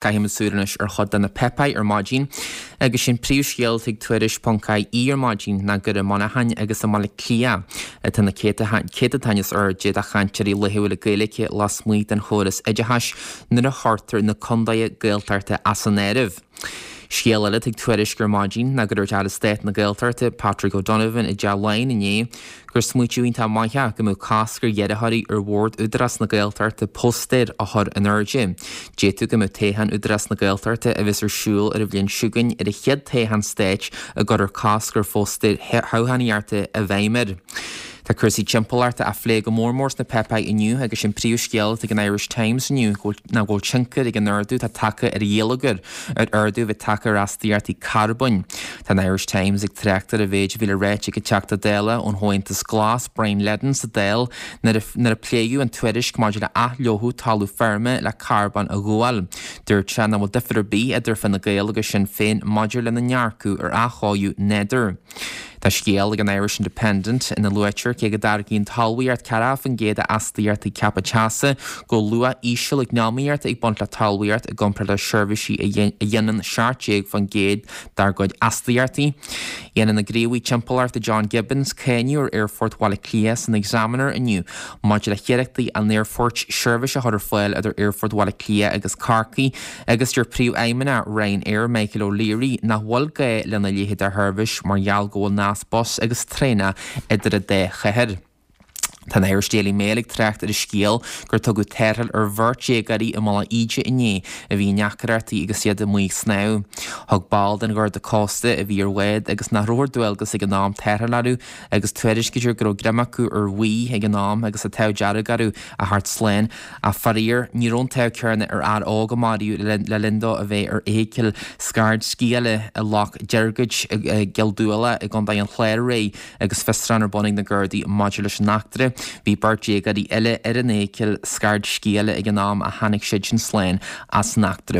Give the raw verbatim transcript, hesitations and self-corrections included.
Caithfimid súil anois ar chuid de na páipéir ar maidin agus sin príomhscéal ag Tuairisc ponc ie ar maidin ná gur i Muineachán agus i mBaile Átha Cliath atá na céatadáin is airde de chainteoirí laethúla Gaeilge lasmuigh den chóras oideachais nuair a chuirtear na contaetha Gaeltachta as an áireamh. Scéal eile ag Tuairisc ar maidin ná gur dúirt Aire Stáit na Gaeltachta Patrick O'Donovan i dTeach Laighean inné gur smaoitiú iontach maith é go mbeadh cosc ar iarrthóirí ar bhord Údarás na Gaeltachta póstaeir a chur in airde. D'fhéadfadh go mbeadh toghchán Údarás na Gaeltachta a bheas ar siúl ar an bhliain seo chugainn ar an chéad toghchán stáit a gcuirfear cosc ar phóstaeir thoghchánaíochta i bhfeidhm air. Tá cúrsaí timpeallachta á phlé go mór mór sna páipéir inniu agus sin príomhscéal ag an Irish Times inniu ná go bhfuil tionchar ag an ardú atá tagtha ar gheilleagar ar ardú a bheith tagtha ar astaíochtaí carbóin. Tá an Irish Times ag trácht ar an mhéid a bhí le ráit ag an Teachta Dála ón Chomhaontas Glas Brian Leddin sa Dáil nuair a pléadh an tuairisc maidir le athfhliuchadh talamh feirme le carbón a ghabháil. Dúirt sé nach bhfuil difear ar bith idir Fine Gael agus Sinn Féin maidir lena ndearcadh ar athchóiriú nádúir. Tá scéal ag an Irish Independent ina luaitear cé go dtáirgíonn talmhaíocht ceathracha faoin gcéad d'astaíochtaí ceaptha teasa go bhfuil luach íseal eacnamaíochta ag baint le talmhaíocht i gcomparáid le seirbhísí a dhéanann seacht déag faoin gcéad dár gcuid astaíochtaí. Dhéanann an gníomhaí timpeallachta John Gibbons cáineadh ar Aerfort Bhaile Átha Cliath san Examiner inniu maidir le hiarrachtaí an aerfoirt seirbhís a chur ar fáil idir Aerfort Bhaile Átha Cliath agus Corcaigh agus deir príomhfheidhmeannach Ryanair Michael O'Leary nach bhfuil gá lena leithéid de sheirbhís mar gheall go bhfuil nasc bus agus traenach idir an dá chathair. Tá an Irish Daily Mail ag trácht ar an scéal gur tugadh tarrtháil ar bheirt déagóirí i Mullach Íde inné a bhí i ndeacrachtaí agus iad amuigh ag snámh. Thug ball den Gharda Cósta a bhí ar bhád agus nach raibh ar dualgas ag an am tarrtháil orthu agus tuairiscítear go raibh greim acu ar bhaoi ag an am agus an t-ádh dearg orthu a theacht slán. Ach faraor, ní raibh an t-ádh céanna ar fhear óg a maraíodh le linn dó a bheith ar fheithicil scairdsciála i Loch Deirgid i gCill Dúile i gContae an Chláir aréir agus fiosrúchán ar bun ag na Gardaí maidir leis an eachtra. Bhí beirt déagóirí eile ar an fheithicil scairdsciála ag an am a tháinig siad sin slán as an eachtra.